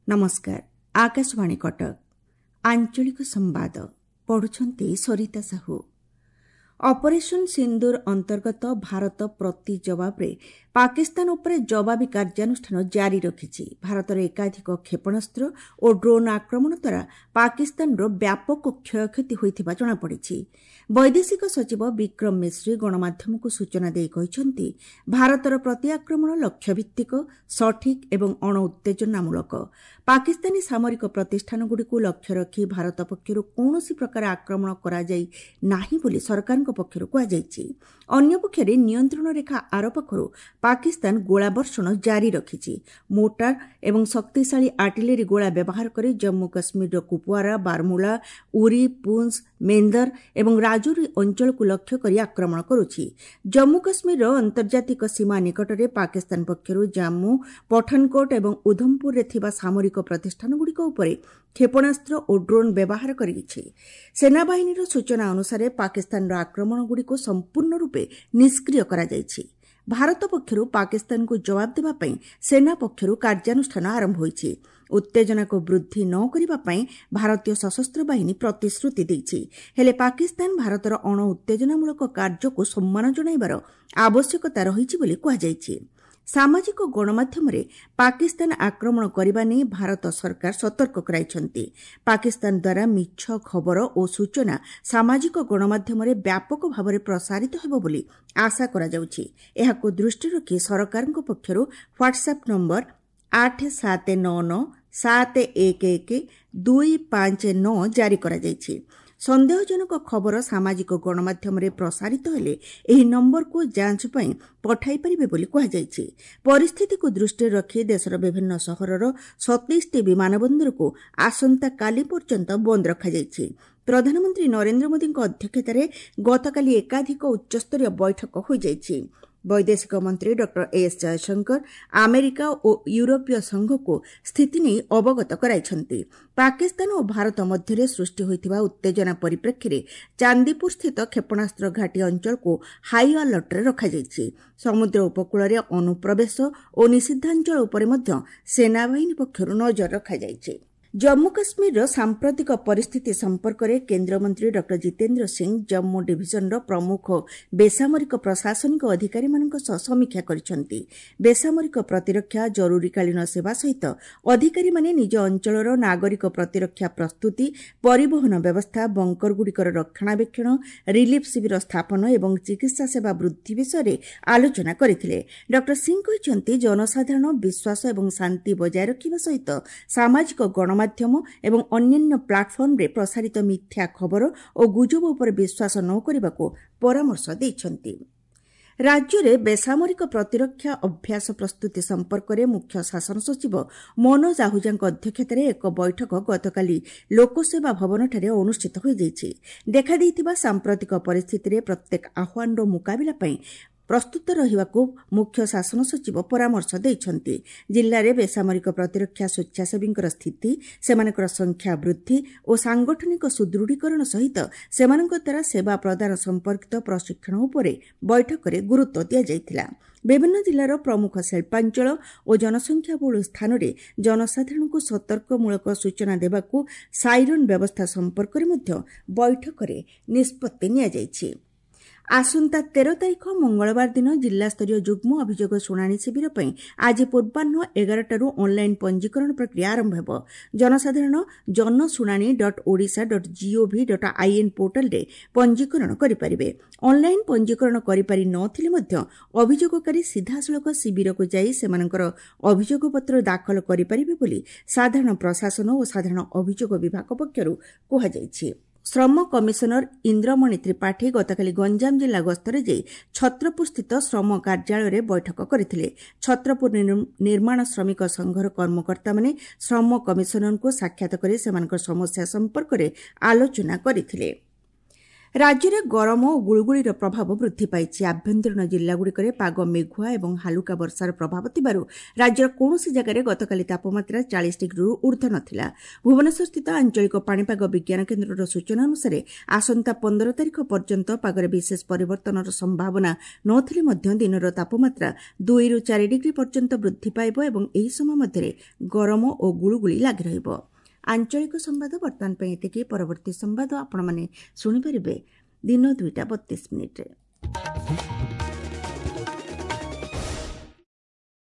ନମସ୍କାର, ଆକାଶବାଣୀ କଟକ। ଆଞ୍ଚଳିକ ସମ୍ବାଦ ପଢୁଛନ୍ତି ସରିତା ସାହୁ। ଅପରେସନ୍ ସିନ୍ଦୁର ଅନ୍ତର୍ଗତ ଭାରତ ପ୍ରତି ଜବାବରେ ପାକିସ୍ତାନ ଉପରେ ଜବାବୀ କାର୍ଯ୍ୟାନୁଷ୍ଠାନ ଜାରି ରଖିଛି। ଭାରତର ଏକାଧିକ କ୍ଷେପଣାସ୍ତ୍ର ଓ ଡ୍ରୋନ୍ ଆକ୍ରମଣ ଦ୍ୱାରା ପାକିସ୍ତାନର ବ୍ୟାପକ କ୍ଷୟକ୍ଷତି ହୋଇଥିବା ଜଣାପଡ଼ିଛି। ବୈଦେଶିକ ସଚିବ ବିକ୍ରମ ମିଶ୍ରି ଗଣମାଧ୍ୟମକୁ ସୂଚନା ଦେଇ କହିଛନ୍ତି, ଭାରତର ପ୍ରତିଆକ୍ରମଣ ଲକ୍ଷ୍ୟଭିତ୍ତିକ, ସଠିକ୍ ଏବଂ ଅଣଉତ୍ତେଜନାମୂଳକ। ପାକିସ୍ତାନୀ ସାମରିକ ପ୍ରତିଷ୍ଠାନଗୁଡ଼ିକୁ ଲକ୍ଷ୍ୟ ରଖି ଭାରତ ପକ୍ଷରୁ କୌଣସି ପ୍ରକାର ଆକ୍ରମଣ କରାଯାଇ ନାହିଁ ବୋଲି ସରକାରଙ୍କ ପକ୍ଷରୁ କୁହାଯାଇଛି। ଅନ୍ୟପକ୍ଷରେ ନିୟନ୍ତ୍ରଣ ରେଖା ଆରପାଖରୁ ପାକିସ୍ତାନ ଗୋଳାବର୍ଷଣ ଜାରି ରଖିଛି। ମୋର୍ଟାର ଏବଂ ଶକ୍ତିଶାଳୀ ଆର୍ଟିଲେରୀ ଗୋଳା ବ୍ୟବହାର କରି ଜମ୍ମୁ କାଶ୍ମୀରର କୁପୱାରା, ବାରମୁଲା, ଉରି, ପୁଞ୍ଚ, ମେନ୍ଦର ଏବଂ ରାଜୌରୀ ଅଞ୍ଚଳକୁ ଲକ୍ଷ୍ୟ କରି ଆକ୍ରମଣ କରୁଛି। ଜମ୍ମୁ କାଶ୍ମୀରର ଆନ୍ତର୍ଜାତିକ ସୀମା ନିକଟରେ ପାକିସ୍ତାନ ପକ୍ଷରୁ ଜାମ୍ମୁ, ପଠାନକୋଟ ଏବଂ ଉଧମପୁରରେ ଥିବା ସାମରିକ ପ୍ରତିଷ୍ଠାନଗୁଡ଼ିକ ଉପରେ କ୍ଷେପଣାସ୍ତ୍ର ଓ ଡ୍ରୋନ୍ ବ୍ୟବହାର କରିଛି। ସେନାବାହିନୀର ସୂଚନା ଅନୁସାରେ ପାକିସ୍ତାନର ଆକ୍ରମଣଗୁଡ଼ିକୁ ସମ୍ପୂର୍ଣ୍ଣ ରୂପେ ନିଷ୍କ୍ରିୟ କରାଯାଇଛି। ଭାରତ ପକ୍ଷରୁ ପାକିସ୍ତାନକୁ ଜବାବ ଦେବା ପାଇଁ ସେନା ପକ୍ଷରୁ କାର୍ଯ୍ୟାନୁଷ୍ଠାନ ଆରମ୍ଭ ହୋଇଛି। ଉତ୍ତେଜନାକୁ ବୃଦ୍ଧି ନ କରିବା ପାଇଁ ଭାରତୀୟ ସଶସ୍ତ୍ର ବାହିନୀ ପ୍ରତିଶ୍ରୁତି ଦେଇଛି। ହେଲେ ପାକିସ୍ତାନ ଭାରତର ଅଣଉତ୍ତେଜନାମୂଳକ କାର୍ଯ୍ୟକୁ ସମ୍ମାନ ଜଣାଇବାର ଆବଶ୍ୟକତା ରହିଛି ବୋଲି କୁହାଯାଇଛି। ସାମାଜିକ ଗଣମାଧ୍ୟମରେ ପାକିସ୍ତାନ ଆକ୍ରମଣ କରିବା ନେଇ ଭାରତ ସରକାର ସତର୍କ କରାଇଛନ୍ତି। ପାକିସ୍ତାନ ଦ୍ୱାରା ମିଛ ଖବର ଓ ସୂଚନା ସାମାଜିକ ଗଣମାଧ୍ୟମରେ ବ୍ୟାପକ ଭାବରେ ପ୍ରସାରିତ ହେବ ବୋଲି ଆଶା କରାଯାଉଛି। ଏହାକୁ ଦୃଷ୍ଟିରେ ରଖି ସରକାରଙ୍କ ପକ୍ଷରୁ ହ୍ୱାଟ୍ସଆପ୍ ନମ୍ବର 8 7 9 9 7 1 1 2 5 9 ଜାରି କରାଯାଇଛି। ସନ୍ଦେହଜନକ ଖବର ସାମାଜିକ ଗଣମାଧ୍ୟମରେ ପ୍ରସାରିତ ହେଲେ ଏହି ନମ୍ବରକୁ ଯାଞ୍ଚ ପାଇଁ ପଠାଇ ପାରିବେ ବୋଲି କୁହାଯାଇଛି। ପରିସ୍ଥିତିକୁ ଦୃଷ୍ଟିରେ ରଖି ଦେଶର ବିଭିନ୍ନ ସହରର 27ଟି ବିମାନବନ୍ଦରକୁ ଆସନ୍ତାକାଲି ପର୍ଯ୍ୟନ୍ତ ବନ୍ଦ ରଖାଯାଇଛି। ପ୍ରଧାନମନ୍ତ୍ରୀ ନରେନ୍ଦ୍ର ମୋଦିଙ୍କ ଅଧ୍ୟକ୍ଷତାରେ ଗତକାଲି ଏକାଧିକ ଉଚ୍ଚସ୍ତରୀୟ ବୈଠକ ହୋଇଯାଇଛି। ବୈଦେଶିକ ମନ୍ତ୍ରୀ ଡକ୍ଟର ଏସ୍ ଜୟଶଙ୍କର ଆମେରିକା ଓ ୟୁରୋପୀୟ ସଂଘକୁ ସ୍ଥିତି ନେଇ ଅବଗତ କରାଇଛନ୍ତି। ପାକିସ୍ତାନ ଓ ଭାରତ ମଧ୍ୟରେ ସୃଷ୍ଟି ହୋଇଥିବା ଉତ୍ତେଜନା ପରିପ୍ରେକ୍ଷୀରେ ଚାନ୍ଦିପୁରସ୍ଥିତ କ୍ଷେପଣାସ୍ତ୍ର ଘାଟି ଅଞ୍ଚଳକୁ ହାଇ ଆଲର୍ଟରେ ରଖାଯାଇଛି। ସମୁଦ୍ର ଉପକୂଳରେ ଅନୁପ୍ରବେଶ ଓ ନିଷିଦ୍ଧାଞ୍ଚଳ ଉପରେ ମଧ୍ୟ ସେନାବାହିନୀ ପକ୍ଷରୁ ନଜର ରଖାଯାଇଛି। ଜମ୍ମୁ କାଶ୍ମୀରର ସାମ୍ପ୍ରତିକ ପରିସ୍ଥିତି ସମ୍ପର୍କରେ କେନ୍ଦ୍ରମନ୍ତ୍ରୀ ଡକ୍ଟର ଜିତେନ୍ଦ୍ର ସିଂ ଜମ୍ମୁ ଡିଭିଜନର ପ୍ରମୁଖ ବେସାମରିକ ପ୍ରଶାସନିକ ଅଧିକାରୀମାନଙ୍କ ସହ ସମୀକ୍ଷା କରିଛନ୍ତି। ବେସାମରିକ ପ୍ରତିରକ୍ଷା, ଜରୁରୀକାଳୀନ ସେବା ସହିତ ଅଧିକାରୀମାନେ ନିଜ ଅଞ୍ଚଳର ନାଗରିକ ପ୍ରତିରକ୍ଷା ପ୍ରସ୍ତୁତି, ପରିବହନ ବ୍ୟବସ୍ଥା, ବଙ୍କରଗୁଡ଼ିକର ରକ୍ଷଣାବେକ୍ଷଣ, ରିଲିଫ୍ ଶିବିର ସ୍ଥାପନ ଏବଂ ଚିକିତ୍ସା ସେବା ବୃଦ୍ଧି ବିଷୟରେ ଆଲୋଚନା କରିଥିଲେ। ଡକ୍ଟର ସିଂ କହିଛନ୍ତି, ଜନସାଧାରଣ ବିଶ୍ୱାସ ଏବଂ ଶାନ୍ତି ବଜାୟ ରଖିବା ସହିତ ସାମାଜିକ ଗଣମାଧ୍ୟମ ଏବଂ ଅନ୍ୟାନ୍ୟ ପ୍ଲାଟଫର୍ମରେ ପ୍ରସାରିତ ମିଥ୍ୟା ଖବର ଓ ଗୁଜବ ଉପରେ ବିଶ୍ୱାସ ନ କରିବାକୁ ପରାମର୍ଶ ଦେଇଛନ୍ତି। ରାଜ୍ୟରେ ବେସାମରିକ ପ୍ରତିରକ୍ଷା ଅଭ୍ୟାସ ପ୍ରସ୍ତୁତି ସମ୍ପର୍କରେ ମୁଖ୍ୟ ଶାସନ ସଚିବ ମନୋଜ ଆହୁଜାଙ୍କ ଅଧ୍ୟକ୍ଷତାରେ ଏକ ବୈଠକ ଗତକାଲି ଲୋକସେବା ଭବନଠାରେ ଅନୁଷ୍ଠିତ ହୋଇଯାଇଛି। ଦେଖାଦେଇଥିବା ସାମ୍ପ୍ରତିକ ପରିସ୍ଥିତିରେ ପ୍ରତ୍ୟେକ ଆହ୍ୱାନର ମୁକାବିଲା ପାଇଁ ପ୍ରସ୍ତୁତ ରହିବାକୁ ମୁଖ୍ୟ ଶାସନ ସଚିବ ପରାମର୍ଶ ଦେଇଛନ୍ତି। ଜିଲ୍ଲାରେ ବେସାମରିକ ପ୍ରତିରକ୍ଷା ସ୍ୱେଚ୍ଛାସେବୀଙ୍କର ସ୍ଥିତି, ସେମାନଙ୍କର ସଂଖ୍ୟା ବୃଦ୍ଧି ଓ ସାଂଗଠନିକ ସୁଦୃଢ଼ୀକରଣ ସହିତ ସେମାନଙ୍କ ଦ୍ୱାରା ସେବା ପ୍ରଦାନ ସମ୍ପର୍କିତ ପ୍ରଶିକ୍ଷଣ ଉପରେ ବୈଠକରେ ଗୁରୁତ୍ୱ ଦିଆଯାଇଥିଲା। ବିଭିନ୍ନ ଜିଲ୍ଲାର ପ୍ରମୁଖ ଶିଳ୍ପାଞ୍ଚଳ ଓ ଜନସଂଖ୍ୟାବହୁଳ ସ୍ଥାନରେ ଜନସାଧାରଣଙ୍କୁ ସତର୍କମୂଳକ ସୂଚନା ଦେବାକୁ ସାଇରନ୍ ବ୍ୟବସ୍ଥା ସମ୍ପର୍କରେ ମଧ୍ୟ ବୈଠକରେ ନିଷ୍ପତ୍ତି ନିଆଯାଇଛି। ଆସନ୍ତା 13 ତାରିଖ ମଙ୍ଗଳବାର ଦିନ ଜିଲ୍ଲାସ୍ତରୀୟ ଯୁଗ୍ମ ଅଭିଯୋଗ ଶୁଣାଣି ଶିବିର ପାଇଁ ଆଜି ପୂର୍ବାହ୍ନ 11ଟାରୁ ଅନ୍ଲାଇନ୍ ପଞ୍ଜୀକରଣ ପ୍ରକ୍ରିୟା ଆରମ୍ଭ ହେବ। ଜନସାଧାରଣ janashunani.odisha.gov.in ପୋର୍ଟାଲରେ ପଞ୍ଜୀକରଣ କରିପାରିବେ। ଅନ୍ଲାଇନ୍ ପଞ୍ଜୀକରଣ କରିପାରି ନ ଥିଲେ ମଧ୍ୟ ଅଭିଯୋଗକାରୀ ସିଧାସଳଖ ଶିବିରକୁ ଯାଇ ସେମାନଙ୍କର ଅଭିଯୋଗପତ୍ର ଦାଖଲ କରିପାରିବେ ବୋଲି ସାଧାରଣ ପ୍ରଶାସନ ଓ ସାଧାରଣ ଅଭିଯୋଗ ବିଭାଗ ପକ୍ଷରୁ କୁହାଯାଇଛି। ଶ୍ରମ କମିଶନର ଇନ୍ଦ୍ରମଣି ତ୍ରିପାଠୀ ଗତକାଲି ଗଞ୍ଜାମ ଜିଲ୍ଲା ଗସ୍ତରେ ଯାଇ ଛତ୍ରପୁରସ୍ଥିତ ଶ୍ରମ କାର୍ଯ୍ୟାଳୟରେ ବୈଠକ କରିଥିଲେ। ଛତ୍ରପୁର ନିର୍ମାଣ ଶ୍ରମିକ ସଂଘର କର୍ମକର୍ତ୍ତାମାନେ ଶ୍ରମ କମିଶନରଙ୍କୁ ସାକ୍ଷାତ କରି ସେମାନଙ୍କ ସମସ୍ୟା ସମ୍ପର୍କରେ ଆଲୋଚନା କରିଥିଲେ। ରାଜ୍ୟରେ ଗରମ ଓ ଗୁଳୁଗୁଳିର ପ୍ରଭାବ ବୃଦ୍ଧି ପାଇଛି। ଆଭ୍ୟନ୍ତରୀଣ ଜିଲ୍ଲାଗୁଡ଼ିକରେ ପାଗ ମେଘୁଆ ଏବଂ ହାଲୁକା ବର୍ଷାର ପ୍ରଭାବ ଥିବାରୁ ରାଜ୍ୟର କୌଣସି ଜାଗାରେ ଗତକାଲି ତାପମାତ୍ରା 40 ଡିଗ୍ରୀରୁ ଊର୍ଦ୍ଧ୍ୱ ନଥିଲା। ଭୁବନେଶ୍ୱରସ୍ଥିତ ଆଞ୍ଚଳିକ ପାଣିପାଗ ବିଜ୍ଞାନ କେନ୍ଦ୍ରର ସୂଚନା ଅନୁସାରେ ଆସନ୍ତା 15 ତାରିଖ ପର୍ଯ୍ୟନ୍ତ ପାଗରେ ବିଶେଷ ପରିବର୍ତ୍ତନର ସମ୍ଭାବନା ନଥିଲେ ମଧ୍ୟ ଦିନର ତାପମାତ୍ରା 2ରୁ 4 ଡିଗ୍ରୀ ପର୍ଯ୍ୟନ୍ତ ବୃଦ୍ଧି ପାଇବ ଏବଂ ଏହି ସମୟ ମଧ୍ୟରେ ଗରମ ଓ ଗୁଳୁଗୁଳି ଲାଗି ରହିବ। ଆଞ୍ଚଳିକ ସମ୍ବାଦ ବର୍ତ୍ତମାନ ପାଇଁ ଏତିକି। ପରବର୍ତ୍ତୀ ସମ୍ବାଦ ଆପଣମାନେ ଶୁଣିପାରିବେ ଦିନ 2ଟା 32 ମିନିଟ୍ରେ।